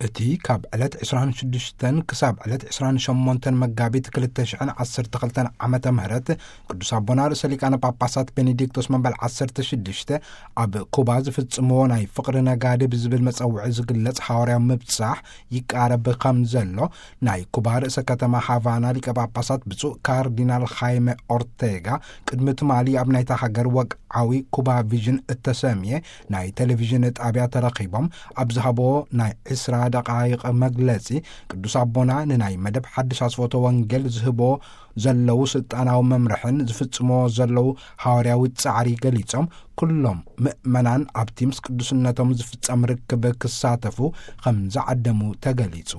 እቲ ካብ ዕለት ዕስራን ሽዱሽተን ክሳብ ዕለት ዕስራን ሸሞንተን መጋቢት ክልተ ሽሕን ዓሰርተ ክልተን ዓመተ ምህረት ቅዱስ ኣቦና ርእሰ ሊቃነ ጳጳሳት ቤኔዲክቶስ መበል ዓሰርተ ሽዱሽተ ኣብ ኩባ ዝፍጽምዎ ናይ ፍቕሪ ነጋድብ ዝብል መጸውዒ ዝግለጽ ሓዋርያዊ ምብጻሕ ይቃረብ ከም ዘሎ ናይ ኩባ ርእሰ ከተማ ሃቫና ሊቀ ጳጳሳት ብፁዕ ካርዲናል ሃይመ ኦርቴጋ ቅድሚ ትማሊ ኣብ ናይታ ሃገር ወግዓዊ ኩባ ቪዥን እተሰምየ ናይ ቴሌቪዥን ጣብያ ተረኺቦም ኣብ ዝሃብዎ ናይ ዕስራ ደቓይቕ መግለጺ፣ ቅዱስ ኣቦና ንናይ መደብ ሓድሽ ኣስፎቶ ወንጌል ዝህቦ ዘለዉ ስልጣናዊ መምርሕን ዝፍጽሞ ዘለዉ ሃዋርያዊ ጻዕሪ ገሊጾም፣ ኩሎም ምእመናን ኣብቲ ምስ ቅዱስነቶም ዝፍጸም ርክብ ክሳተፉ ከም ዝዓደሙ ተገሊጹ።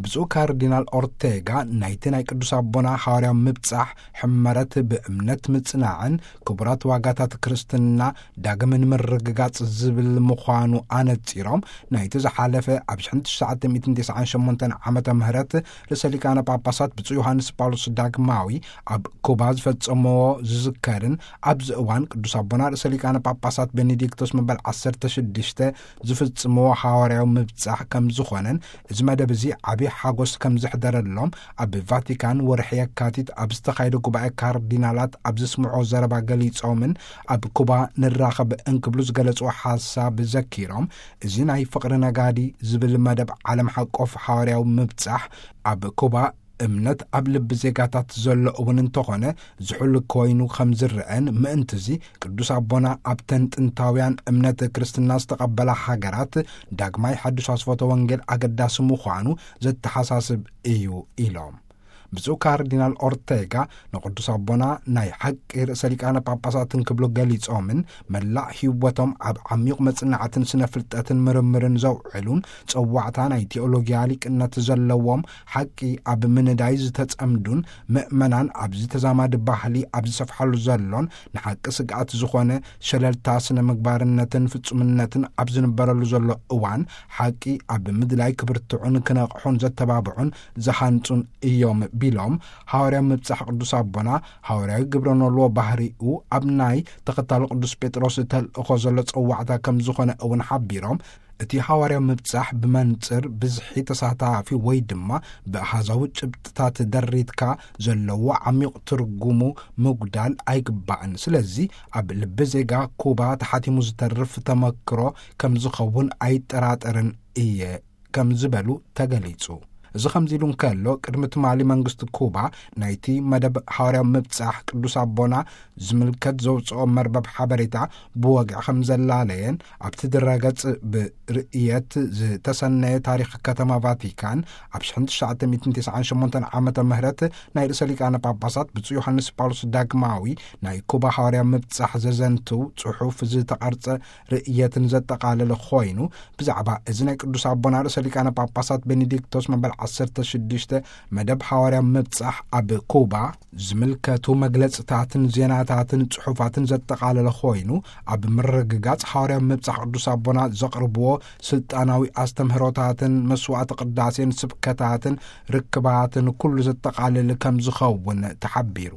ብፁዕ ካርዲናል ኦርቴጋ ናይቲ ናይ ቅዱስ ኣቦና ሃዋርያዊ ምብጻሕ ሕመረት ብእምነት ምጽናዕን ክቡራት ዋጋታት ክርስትና ዳግም ንምርግጋጽ ዝብል ምዃኑ ኣነጺሮም፣ ናይቲ ዝሓለፈ ኣብ ሽሕን ትሽዓተ ሚእትን ተስዓን ሸሞንተን ዓመተ ምህረት ርእሰ ሊቃነ ጳጳሳት ብፁዕ ዮሃንስ ጳውሎስ ዳግማዊ ኣብ ኩባ ዝፈጸምዎ ዝዝከርን ኣብዚ እዋን ቅዱስ ኣቦና ርእሰ ሊቃነ ጳጳሳት ቤኔዲክቶስ መበል ዓሰርተ ሽዱሽተ ዝፍጽምዎ ሃዋርያዊ ምብጻሕ ከም ዝኾነን፣ እዚ መደብ እዚ ዓቢ ሓጎስ ከም ዘሕደረሎም ኣብ ቫቲካን ወርሒ የካቲት ኣብ ዝተኻየደ ጉባኤ ካርዲናላት ኣብ ዘስምዖ ዘረባ ገሊጾምን፣ ኣብ ኩባ ንራኸብ እንክብሉ ዝገለጽዎ ሓሳብ ዘኪሮም፣ እዚ ናይ ፍቕሪ ነጋዲ ዝብል መደብ ዓለም ሓቆፍ ሃዋርያዊ ምብጻሕ ኣብ ኩባ እምነት ኣብ ልቢ ዜጋታት ዘሎ እውን እንተኾነ ዝሑል ኮይኑ ከም ዝረአን፣ ምእንትዚ ቅዱስ ኣቦና ኣብተን ጥንታውያን እምነት ክርስትና ዝተቐበላ ሃገራት ዳግማይ ሓድሽ ኣስፎተ ወንጌል ኣገዳሲ ምዃኑ ዘተሓሳስብ እዩ ኢሎም። ብፁዕ ካርዲናል ኦርቴጋ ንቅዱስ ኣቦና ናይ ሓቂ ርእሰ ሊቃነ ጳጳሳትን ክብሉ ገሊጾምን፣ መላእ ህይወቶም ኣብ ዓሚቕ መጽናዕትን ስነ ፍልጠትን ምርምርን ዘውዕሉን፣ ጸዋዕታ ናይ ቴኦሎጊያ ሊቅነት ዘለዎም፣ ሓቂ ኣብ ምንዳይ ዝተጸምዱን፣ ምእመናን ኣብዚ ተዛማዲ ባህሊ ኣብ ዝሰፍሓሉ ዘሎን ንሓቂ ስግኣት ዝኾነ ሸለልታ ስነ ምግባርነትን ፍጹምነትን ኣብ ዝንበረሉ ዘሎ እዋን፣ ሓቂ ኣብ ምድላይ ክብርትዑን ክነቕሑን ዘተባብዑን ዝሃንጹን እዮም ቢሎም፣ ሃዋርያዊ ምብጻሕ ቅዱስ ኣቦና ሃዋርያዊ ግብረ ኖልዎ ባህሪኡ ኣብ ናይ ተኸታሊ ቅዱስ ጴጥሮስ ተልእኾ ዘሎ ጸዋዕታ ከም ዝኾነ እውን ሓቢሮም፣ እቲ ሃዋርያዊ ምብጻሕ ብመንጽር ብዝሒ ተሳታፊ ወይ ድማ ብኣሃዛዊ ጭብጥታት ደሪትካ ዘለዎ ዓሚቕ ትርጉሙ ምጉዳል ኣይግባእን። ስለዚ ኣብ ልቢ ዜጋ ኩባ ተሓቲሙ ዝተርፍ ተመክሮ ከም ዝኸውን ኣይጠራጠርን እየ ከም ዝበሉ ተገሊጹ። እዚ ከምዚ ኢሉ እንከሎ፣ ቅድሚ ትማሊ መንግስቲ ኩባ ናይቲ መደብ ሃዋርያዊ ምብጻሕ ቅዱስ ኣቦና ዝምልከት ዘውጽኦ መርበብ ሓበሬታ ብወግዒ ከም ዘላለየን፣ ኣብቲ ድረገጽ ብርእየት ዝተሰነየ ታሪኽ ከተማ ቫቲካን ኣብ ሽሕን ትሽዓተ ሚእትን ተስዓን ሸሞንተን ዓመተ ምህረት ናይ ርእሰ ሊቃነ ጳጳሳት ብፁዕ ዮሃንስ ጳውሎስ ዳግማዊ ናይ ኩባ ሃዋርያዊ ምብጻሕ ዘዘንትው ጽሑፍ ዝተቐርጸ ርእየትን ዘጠቓለለ ኮይኑ፣ ብዛዕባ እዚ ናይ ቅዱስ ኣቦና ርእሰ ሊቃነ ጳጳሳት ቤኔዲክቶስ መበል ዓሰርተ ሽዱሽተ መደብ ሃዋርያዊ ምብጻሕ ኣብ ኩባ ዝምልከቱ መግለጽታትን ዜናታትን ጽሑፋትን ዘጠቓለለ ኮይኑ፣ ኣብ ምርግጋጽ ሃዋርያዊ ምብጻሕ ቅዱስ ኣቦና ዘቕርብዎ ስልጣናዊ ኣስተምህሮታትን መስዋዕቲ ቅዳሴን ስብከታትን ርክባትን ኩሉ ዘጠቓልል ከም ዝኸውን ተሓቢሩ።